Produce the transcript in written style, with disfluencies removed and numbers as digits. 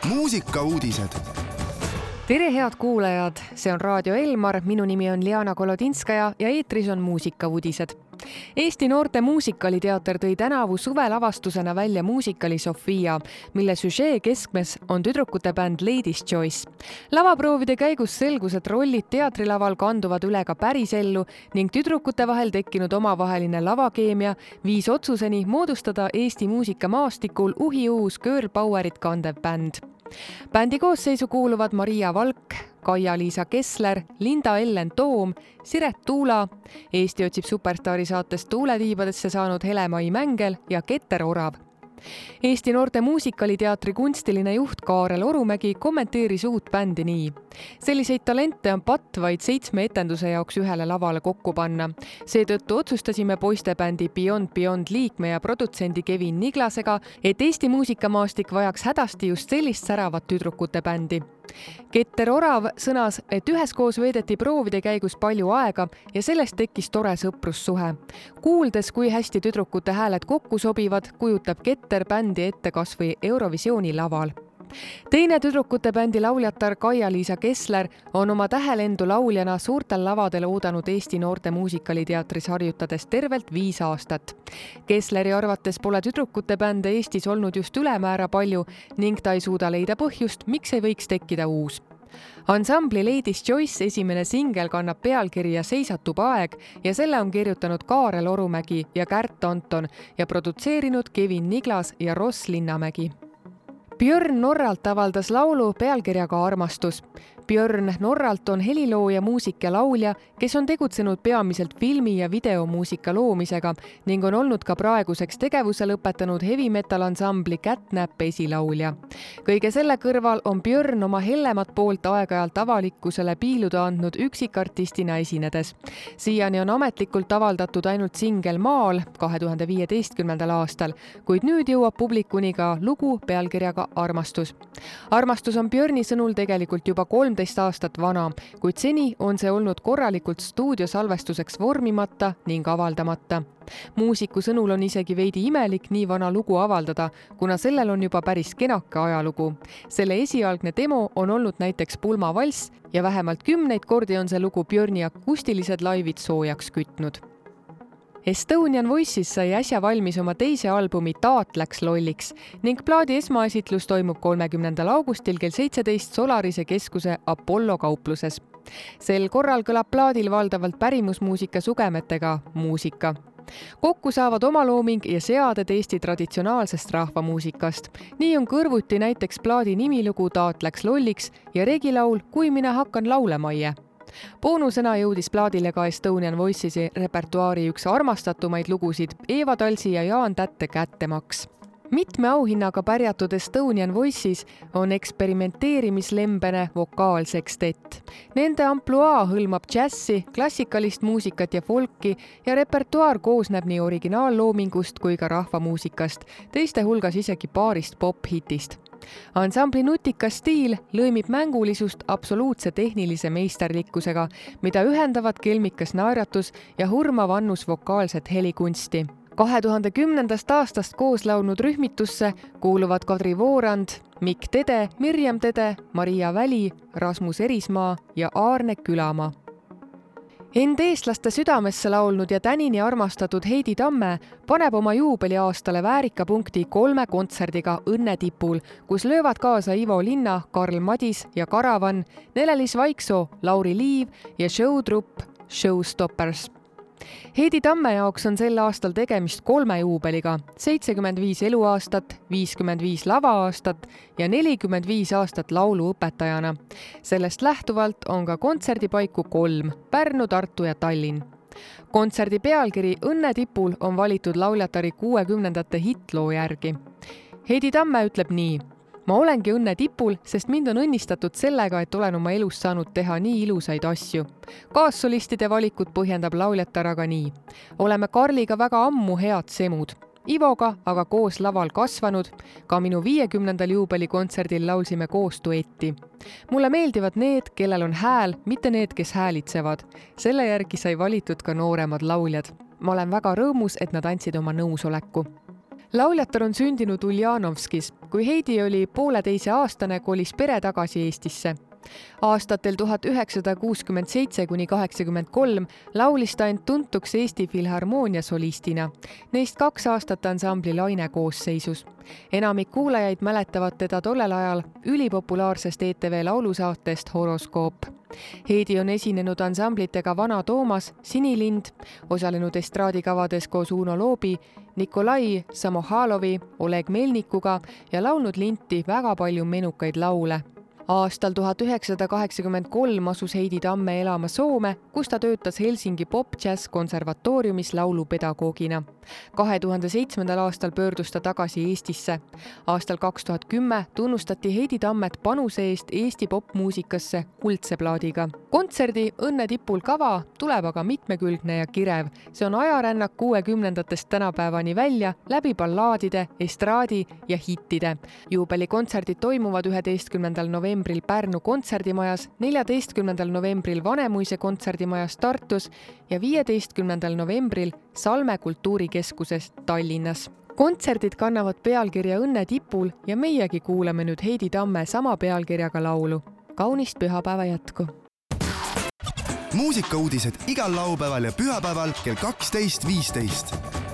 Muusikauudised. Tere head kuulajad, see on Raadio Elmar, minu nimi on Liana Kolodinskaja ja eetris on muusikauudised. Eesti noorte muusikaliteater tõi tänavu suvelavastusena välja muusikali Sofia, mille süžee keskmes on tüdrukute bänd Lady's Choice. Lavaproovide käigus selgus, et rollid teatrilaval kanduvad üle ka pärisellu ning tüdrukute vahel tekkinud omavaheline lavakeemia viis otsuseni moodustada Eesti muusikamaastikul uhiuus girl powerit kandev bänd. Bändi koosseisu kuuluvad Maria Valk, Kaia-Liisa Kessler, Linda Ellen Toom, Siret Tuula, Eesti otsib superstaari saatest Tuuletiibadesse saanud Hele-Mai Mängel ja Keter Orav. Eesti noorte muusikaliteatri kunstiline juht Kaarel Orumägi kommenteeris uut bändi nii. Selliseid talente on patt vaid 7 etenduse jaoks ühele lavale kokku panna. Seetõttu otsustasime poistebändi Beyond liikme ja produtsendi Kevin Niglasega, et Eesti muusikamaastik vajaks hädasti just sellist säravat tüdrukute bändi. Keter Orav sõnas, et üheskoos veedeti proovide käigus palju aega ja sellest tekkis tore sõprussuhe. Kuuldes, kui hästi tüdrukute hääled kokku sobivad, kujutab Keter bändi ette kasvõi Eurovisiooni laval. Teine tüdrukute bändi lauljatar Kaia-Liisa Kessler on oma tähelendu lauljana suurtel lavadel oodanud Eesti noorte muusikaliteatris harjutades tervelt 5 aastat. Kessleri arvates pole tüdrukute bände Eestis olnud just ülemäära palju ning ta ei suuda leida põhjust, miks ei võiks tekkida uus. Ansambli Lady's Choice esimene singel kannab pealkirja Seisatub aeg ja selle on kirjutanud Kaarel Orumägi ja Kärt Anton ja produtseerinud Kevin Niglas ja Ross Linnamägi. Björn Norralt avaldas laulu pealkirjaga Armastus. Björn Norralt on helilooja, muusik ja laulja, kes on tegutsenud peamiselt filmi- ja videomuusika loomisega ning on olnud ka praeguseks tegevuse lõpetanud heavy metal ansambli Catnap esilaulja. Kõige selle kõrval on Björn oma hellemat poolt aeg-ajalt avalikkusele piiluda andnud üksikartistina esinedes. Siiani on ametlikult avaldatud ainult singel Maal 2015. aastal, kuid nüüd jõuab publikuni ka lugu pealkirjaga Armastus. Armastus on Björni sõnul tegelikult juba 13 aastat vana, kuid seni on see olnud korralikult stuudiosalvestuseks vormimata ning avaldamata. Muusiku sõnul on isegi veidi imelik nii vana lugu avaldada, kuna sellel on juba päris kenake ajalugu. Selle esialgne demo on olnud näiteks Pulmavalss ja vähemalt 10 kordi on see lugu Björni akustilised laivid soojaks kütnud. Estonian Voices sai äsja valmis oma teise albumi Taat läks lolliks ning plaadi esmaesitlus toimub 30. augustil kell 17 Solarise keskuse Apollo kaupluses. Sel korral kõlab plaadil valdavalt pärimusmuusika sugemetega muusika. Kokku saavad omalooming ja seaded Eesti traditsionaalsest rahvamuusikast. Nii on kõrvuti näiteks plaadi nimilugu Taat läks lolliks ja regilaul Kui mina hakkan laulemaie. Boonusena jõudis plaadile ka Estonian Voicesi repertuaari üks armastatumaid lugusid Eeva Talsi ja Jaan Tätte Kättemaks. Mitme auhinnaga pärjatud Estonian Voices on eksperimenteerimislembene vokaalsekstett. Nende ampluaa hõlmab džässi, klassikalist muusikat ja folki ja repertuaar koosneb nii originaalloomingust kui ka rahvamuusikast, teiste hulgas isegi paarist pop-hitist. Ansambli nutikas stiil lõimib mängulisust absoluutse tehnilise meisterlikkusega, mida ühendavad kelmikas naeratus ja hurmav annus vokaalset helikunsti. 2010. aastast koos laulnud rühmitusse kuuluvad Kadri Voorand, Mikk Tede, Mirjam Tede, Maria Väli, Rasmus Erismaa ja Aarne Külamaa. End eestlaste südamesse laulnud ja tänini armastatud Heidi Tamme paneb oma juubeliaastale väärikapunkti 3 kontserdiga Õnne tipul, kus löövad kaasa Ivo Linna, Karl Madis ja Karavan, Nelelis Vaiksoo, Lauri Liiv ja showtrupp Showstoppers. Heidi Tamme jaoks on sel aastal tegemist 3 juubeliga, 75 eluaastat, 55 lavaaastat ja 45 aastat lauluõpetajana. Sellest lähtuvalt on ka kontserdipaiku 3, Pärnu, Tartu ja Tallinn. Kontserdi pealkiri Õnne tipul on valitud lauljatari 60ndate hitloo järgi. Heidi Tamme ütleb nii: Ma olengi õnne tipul, sest mind on õnnistatud sellega, et olen oma elus saanud teha nii ilusaid asju. Kaassolistide valikut põhjendab lauljatar aga nii: Oleme Karliga väga ammu head semud. Ivoga aga koos laval kasvanud, ka minu 50. juubelikontserdil laulsime koos duetti. Mulle meeldivad need, kellel on hääl, mitte need, kes häälitsevad. Selle järgi sai valitud ka nooremad lauljad. Ma olen väga rõõmus, et nad andsid oma nõusoleku. Lauljatar on sündinud Uljanovskis. Kui Heidi oli 1,5-aastane, kolis pere tagasi Eestisse. Aastatel 1967–83 laulis ta end tuntuks Eesti Filharmoonia solistina. Neist 2 aastat ansambli Laine koosseisus. Enamik kuulajaid mäletavad teda tollel ajal ülipopulaarsest ETV laulusaatest Horoskoop. Heidi on esinenud ansamblitega Vana Toomas, Sinilind, osalenud estraadikavades koos Uno Loobi, Nikolai Samohalovi, Oleg Melnikuga ja laulnud linti väga palju menukaid laule. Aastal 1983 asus Heidi Tamme elama Soome, kus ta töötas Helsingi Pop-Jazz konservatooriumis laulupedagoogina. 2007. aastal pöördus ta tagasi Eestisse. Aastal 2010 tunnustati Heidi Tammet panuse eest Eesti popmuusikasse kuldse plaadiga. Kontserdi Õnne tipul kava tuleb aga mitmekülgne ja kirev. See on ajarännak 60-ndatest tänapäevani välja läbi ballaadide, estraadi ja hittide. Juubelikontserdid toimuvad 11. novembril Pärnu kontserdimajas, 14. novembril Vanemuise kontserdimajas Tartus ja 15. novembril Salme kultuurikeskuses Tallinnas. Kontserdid kannavad pealkirja Õnne tipul ja meiegi kuulame nüüd Heidi Tamme sama pealkirjaga laulu. Kaunist pühapäeva jätku! Muusikauudised igal laupäeval ja pühapäeval kell 12.15.